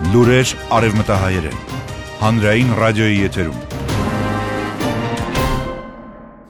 Լուրեր արևմտահայերեն, հանրային ռադիոյի եթերում։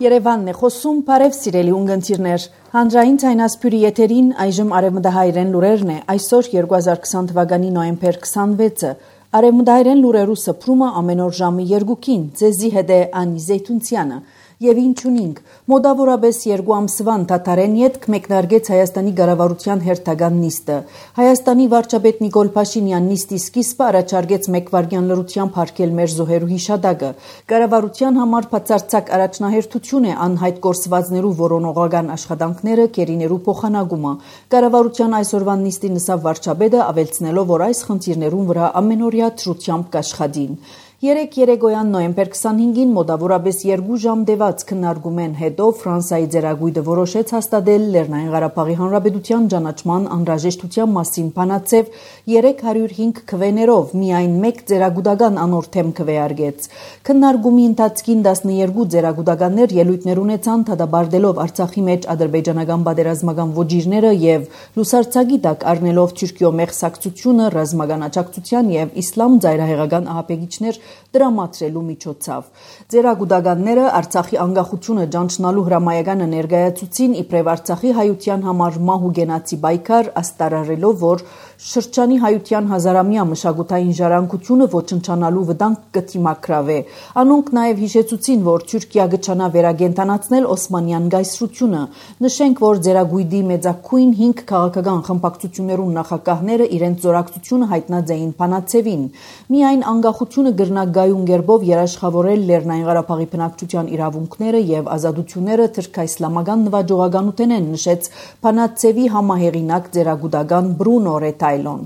Երևանն է խոսում, բարև սիրելի ունգընտիրներ, հանրային ցայնասփյուրի եթերին այժմ արևմտահայերեն լուրերն է, այսօր 2020 թվականի նոյեմբեր 26-ը, արևմտահայերեն լուրերու սփռումը ամեն օր ժամի 2-ին, ձեզի հետ է Անի Զեյթունցյանը։ Եվ ինչ ունինք, մոտավորապես 2 ամսվա ընդհատարեն ետք մեկնարկեց Հայաստանի ղարավարության հերթական նիստը։ Հայաստանի վարչապետ Նիկոլ Փաշինյան նիստի սկիզբը առաջարկեց 1 վայրկյան լրությամբ հարգել մեր զոհերու հիշադակը։ Ղարավարության համար բացարձակ առաջնահերթություն է անհայտ կորսվածներու որոնողական աշխատանքները, կերիներու փոխանակումը։ Ղարավարության այսօրվա նիստի նսավ վարչապետը ավելցնելով, որ այս խնդիրներուն վրա ամենօրյա թրությամբ կաշխատին։ Երեկոյան նոյեմբեր 25-ին մոտավորապես 2 ժամ դեված քննարկումեն հետո Ֆրանսիայի ձեռագույտը որոշեց հաստատել Լեռնային Ղարաբաղի Հանրապետության ճանաչման անհրաժեշտության մասին բանաձև 305 քվեներով միայն 1 ձեռագուտական անոր թեմ քվեարկեց։ Քննարկումի ընթացքին 12 ձեռագուտականներ ելույթներ ունեցան դատաբարտելով Արցախի մեջ ադրբեջանական պատերազմական ոճիրները եւ լուսարձակի տակ առնելով Թուրքիո մեղսակցությունը ռազմական աջակցության եւ իսլամ ծայրահեղական ահաբեկիչներ դրամատրելու միջոցով։ Ձեռագուտականները Արցախի անկախությունը ճանչնալու հրամայականը ներկայացուցին իբրև Արցախի հայության համար մահու գենացի պայքար, աստարարելով, որ շրջանի հայության հազարամյա մշակութային ժառանգությունը ոչնչանալու վտանգ կդիմակրավե։ Անոնք նաև հիշեցուցին, որ Թուրքիա կչանա վերագենտանացնել Օսմանյան գայսրությունը։ Նշենք, որ ձեռագույտի մեծակույն 5 քաղաքական խմբակցություններուն նախագահները իրենց զորակցությունը հայտնած էին բանաձևին։ Միայն անկախությունը գրնագայուն գերբով երաշխավորել Լեռնային Ղարաբաղի բնակչության իրավունքները եւ ազատությունները թրքաիսլամական նվաճողականութեն են նշեց բանաձևի համահեղինակ ձեռագուտական Բրունո Ռետայլոն։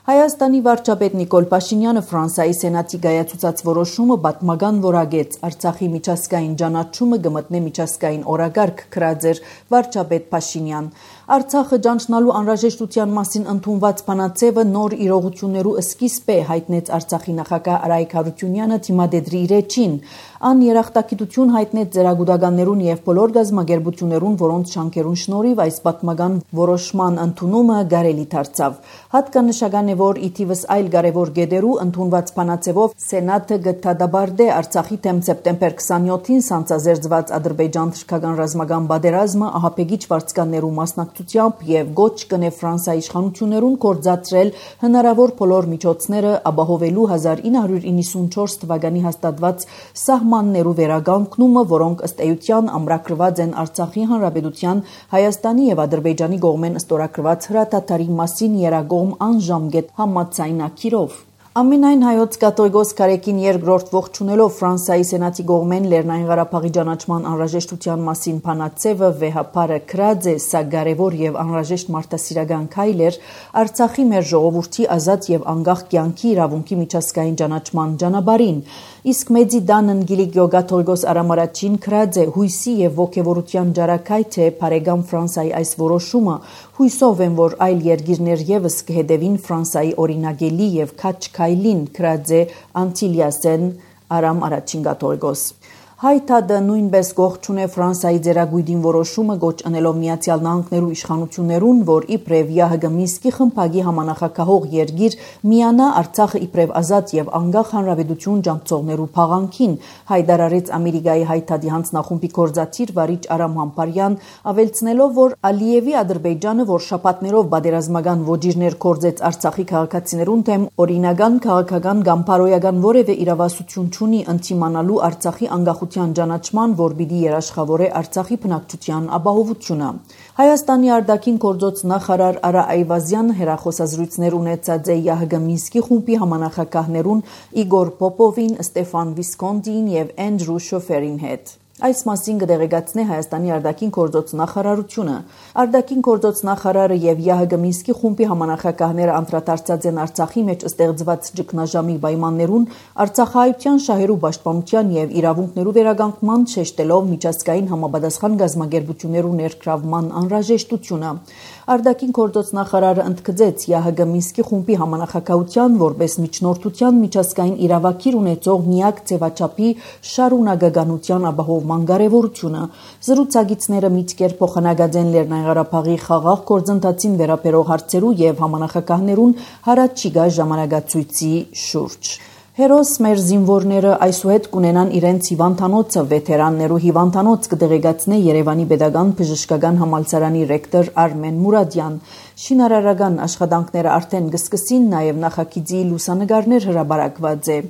Հայաստանի վարչապետ Նիկոլ Փաշինյանը Ֆրանսիայի սենատի կայացուցած որոշումը պատմական որակեց Արցախի միջազգային ճանաչումը կմտնե միջազգային օրակարգ գրած վարչապետ Փաշինյան։ Արցախը ճանչնալու անհրաժեշտության մասին ընդունված բանաձևը նոր իրողություններու սկիզբ է հայտնեց Արցախի նախագահ Արայիկ Հարությունյանը թիմադեդրի իրեջին։ Ան երախտագիտություն հայտնեց ձեռագուտականներուն եւ բոլոր գազམ་ագերբություններուն, որոնց շանքերուն շնորհիվ այս պատմական որոշման ընդունումը կարելի դարձավ։ Հատկանշական է, որ իթիվս այլ կարևոր գեդերու ընդունված բանաձևով Սենատը գտադաբարդե Արցախի դեմ սեպտեմբեր 27-ին սանձազերծված ադրբեջան-թուրքական ռազմական պատերազմը ահաբեկիչ վարձկաններու մասնակցությամբ եւ գոչ կնե Ֆրանսիայի իշխանություններուն կորցածրել հնարավոր բոլոր միջոցները ապահովելու 1994 թվականի հաստատված սահմաններու վերականգնումը, որոնք ըստ էության ամրագրված են Արցախի Հանրապետության, Հայաստանի եւ Ադրբեջանի կողմեն ստորագրված հրադադարի մասին երակողմ անժամկետ համաձայնագիրով։ Ամենայն հայոց կաթողիկոս Կարեկին երկրորդ ողջունելով Ֆրանսիայի սենատի կողմեն Լեռնային Ղարաբաղի ճանաչման անհրաժեշտության մասին բանաձևը վեհապարը գրած է, սա կարևոր եւ անհրաժեշտ մարդասիրական քայլ էր Արցախի մեր ժողովրդի ազատ եւ անկախ կյանքի իրավունքի միջազգային ճանաչման ճանապարհին։ Իսկ մեծի դանն Գիլիգիո կաթողիկոս Արամ Արաչին գրած է հույսի եւ ողջավորության ջարակայթ է բարեկամ Ֆրանսիայի այս որոշումը, հույսով եմ, որ այլ երկիրներ եւս կհետևին Ֆրանսիայի օրինագելի եւ քաչ քայլին գրած է Անտիլիասեն Արամ Արաչին կաթողիկոս։ Հայտադը նույնպես գողջուն է Ֆրանսիայի ձեռագույտին որոշումը գոչ անելով Միացյալ Նահանգներու իշխանություններուն, որ իբրև ԵԱՀԿ Մինսկի խմբակի համանախագահող երկիր միանա Արցախը իբրև ազատ եւ անկախ հանրապետություն ճանաչողներու փաղանքին, հայտարարեց Ամերիկայի հայտադի հանձնախումբի գործադիր վարիչ Արամ Համբարյան, ավելցնելով, որ Ալիևի Ադրբեջանը, որ շաբաթներով պատերազմական ոճիրներ կորցեց Արցախի քաղաքացիներուն դեմ, օրինական քաղաքական կամ բարոյական որևէ իրավասություն չունի ընդդիմանալու Արցախի անկախ ճանաչման, որ պիտի երաշխավորե Արցախի բնակչության ապահովությունը։ Հայաստանի արտաքին գործոց նախարար Արա Այվազյանը հերախոսազրույցներ ունեցած է ԵԱՀԿ Մինսկի խումբի համանախագահներուն Իգոր Պոպովին, Ստեֆան Վիսկոնտին եւ Էնդրու Շոֆերին հետ։ Այս մասին կդեղեկացնի Հայաստանի արտաքին գործոց նախարարությունը։ Արտաքին գործոց նախարարը եւ ԵԱՀԿ Մինսկի խումբի համանախագահները անդրադարձած են Արցախի մեջ ստեղծված ճգնաժամի պայմաններուն, Արցախահայության շահերու պաշտպանության եւ իրավունքներու վերականգնման շեշտելով միջազգային համապատասխան գազམ་ագերբություններու ներգրավման անհրաժեշտությունը։ Արտաքին գործոց նախարարը ընդգծեց ԵԱՀԿ Մինսկի խումբի համանախագահության որպես միջնորդության միջազգային իրավակիր ունեցող միակ ձևաչափի շարունակականության ապահով կառավարման կարևորությունը։ Զրուցակիցները միտքեր փոխանակած են Լեռնային Ղարաբաղի խաղաղ գործընթացին վերաբերող հարցերու եւ համանախագահներուն հարաճիգա ժամանակացույցի շուրջ։ Հերոս մեր զինվորները այսուհետ կունենան իրենց հիվանդանոցը վետերաններու հիվանդանոց կդեղեկացնե Երևանի Պետական Բժշկական Համալսարանի ռեկտոր Արմեն Մուրադյան։ Շինարարական աշխատանքները արդեն կսկսին, նաև նախագիծի լուսանկարներ հրապարակված է։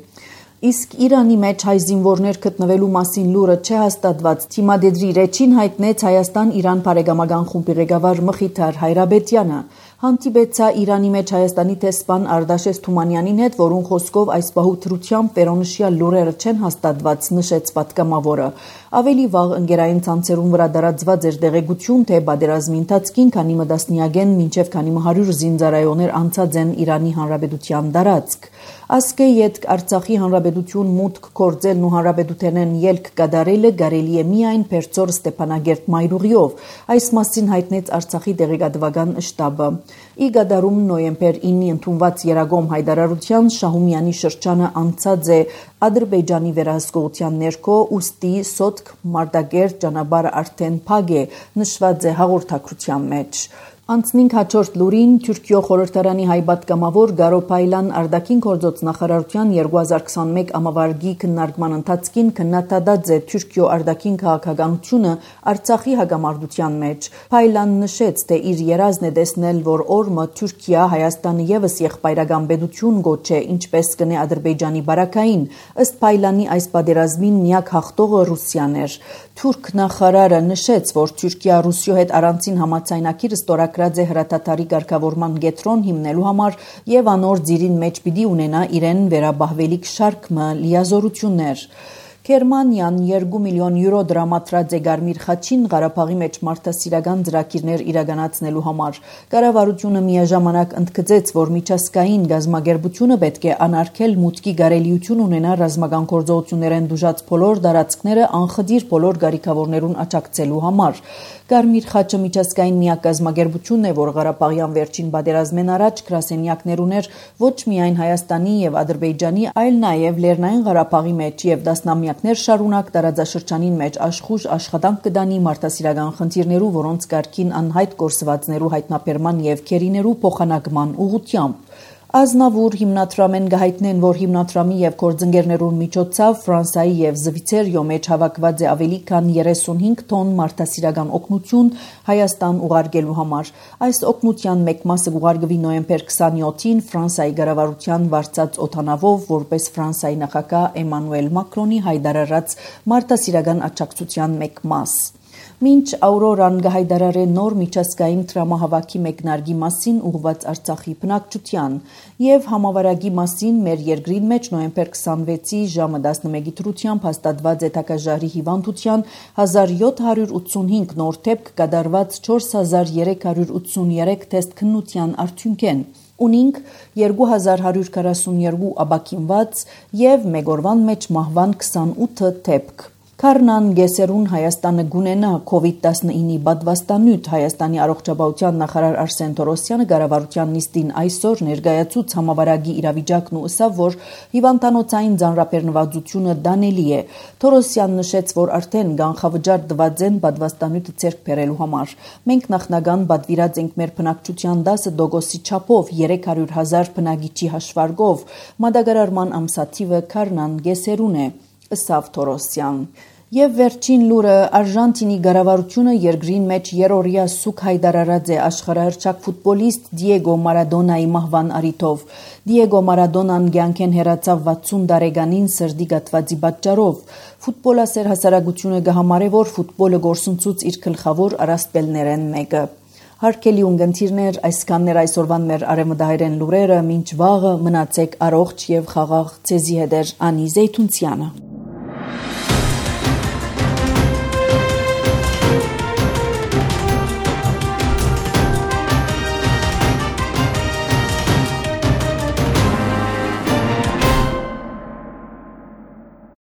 Իսկ Իրանի մեջ հայ զինվորներ գտնվելու մասին լուրը չհաստատված թիմադեդրի ռեչին հայտնեց Հայաստան-Իրան բարեկամական խումբի ղեկավար Մխիթար Հայրաբետյանը։ Հանդիպեցա Իրանի մեջ Հայաստանի տեսփան Արտաշես Թումանյանին հետ, որուն խոսքով այս պահու դրությամբ վերոնշյալ լուրերը չեն հաստատված, նշեց պատգամավորը։ Ավելի վաղ ընկերային ցանցերուն վրա դարածված էր տեղեկություն, թե պատերազմի ընթացքին քանի մտասնիագեն մինչև քանի 100 զինծառայողներ անցած են Իրանի Հանրապետության տարածք։ Ասկե յետք Արցախի Հանրապետություն մուտք կործելն ու հանրապետութենեն ելք կատարելը կարելի է միայն Փերծոր Ստեփանագերտ Մայրուղիով։ Այս մասին հայտնեց Արցախի տեղեկատվական շտաբը։ Ի գադարում նոյեմբեր 9-ի ընդունված Երագոմ հայտարարության Շահումյանի շրջանը անցած է Ադրբեջանի վերահսկողության ներքո, ուստի Սոտք Մարտակերտ ճանապարհը արդեն փակ է, նշված է հաղորդակցության մեջ։ Անցնինք հաջորդ լուրին Թուրքիո խորհրդարանի հայ պատգամավոր Գարո Փայլան արտաքին գործոց նախարարության 2021 ամավարգի քննարկման ընթացքին քննադատած է Թուրքիո արտաքին քաղաքականությունը Արցախի հակամարտության մեջ։ Փայլան նշեց, թե իր երազն է տեսնել, որ օրմը Թուրքիա Հայաստանը եւս եղբայրական պետություն գոչե, ինչպես կնե Ադրբեջանի բարակային։ Ըստ Փայլանի այս պատերազմին միակ հաղթողը Ռուսիան էր։ Թուրք նախարարը նշեց, որ Թուրքիա Ռուսիո հետ առանցին համաձայնագիր ստորագրած է հրաթաթարի կարգավորման կետրոն հիմնելու համար եւ անոր ծիրին մեջ պիտի ունենա իրեն վերաբահվելիք շարք լիազորություններ։ Գերմանիան 2 միլիոն յուրո դրամատրած է Գարմիր խաչին Ղարաբաղի մեջ մարդասիրական ծրագիրներ իրականացնելու համար։ Կառավարությունը միաժամանակ ընդգծեց, որ միջազգային գազագերբությունը պետք է անարգել մուտքի կարելիություն ունենա ռազմական գործողություններեն դժուժած բոլոր տարածքները անխտիր բոլոր գարիքավորներուն աջակցելու համար։ Գարմիր խաչը միջազգային միակ գազագերբությունն է, որ Ղարաբաղյան վերջին պատերազմեն առաջ գրասենյակներ ուներ ոչ միայն Հայաստանի եւ Ադրբեջանի, այլ նաեւ Լեռնային Ղարաբաղի մեջ եւ դասնամյակներ շարունակ տարածաշրջանին մեջ աշխուժ աշխատանք կդանի մարդասիրական խնդիրներու, որոնց կարգին անհայտ կորսվածներու հայտնաբերման եւ քերիներու փոխանակման ուղղությամբ։ Ազնավուր հիմնադրամեն գահիտնեն, որ հիմնադրամի եւ գործընկերներուն միջոցով Ֆրանսայի եւ Զվիցերիո մեջ հավաքված է ավելի քան 35 տոն մարդասիրական օգնություն Հայաստան ուղարկելու համար։ Այս օգնության մեկ մասը ուղարկվի նոյեմբեր 27-ին Ֆրանսիայի կառավարության վարձած օդանավով, որպես Ֆրանսիայի նախագահ Էմանուել Մակրոնի հայտարարած մարդասիրական աջակցության մեկ մաս։ Մինչ Աուրորան գահայդարարե նոր միջազգային տրամահավաքի մեկնարկի մասին ուղղված Արցախի բնակչության եւ համավարակի մասին մեր երկրին մեջ նոյեմբեր 26-ի ժամը 11-ի դրությամբ հաստատված է Թակաժարի հիվանդության 1785 նոր դեպք կատարված 4383 թեստ քննության արդյունքեն։ Ունինք 2142 ապաքինված եւ մեկ օրվան մեջ մահվան 28 դեպք։ Քարնան գեսերուն Հայաստանը գունենա COVID-19-ի պատվաստանյութ Հայաստանի առողջապահության նախարար Արսեն Թորոսյանը կառավարության նիստին այսօր ներկայացուց համավարակի իրավիճակն ու ըսավ, որ հիվանդանոցային ձանրաբեռնվածությունը դանելի է։ Թորոսյանն նշեց, որ արդեն կանխավճար տված են պատվաստանյութը ձեռք բերելու համար։ Մենք նախնական պատվիրած ենք մեր բնակչության 10% չափով 300,000 բնակիչի հաշվարկով։ Մատակարարման ամսաթիվը Քարնան գեսերուն է, ըսավ Թորոսյան։ Եվ վերջին լուրը Արժանտինի կառավարությունը երկրին մեջ երրորդյա սուկ հայտարարած է աշխարհահռչակ ֆուտբոլիստ Դիեգո Մարադոնայի մահվան առիթով։ Դիեգո Մարադոնան կյանքեն հեռացավ 60 տարեկանին սրտի գաթվածի պատճառով։ Ֆուտբոլասեր հասարակությունը կհամարե, որ ֆուտբոլը գործընծուց իր գլխավոր առասպելներեն մեկը։ Հարգելի ունկնդիրներ, այսքանն էր այսօրվան մեր արևմտահայերեն լուրերը, մինչ վաղը մնացեք առողջ եւ խաղաղ ցեզի հետ Անի Զեյթունցյանը։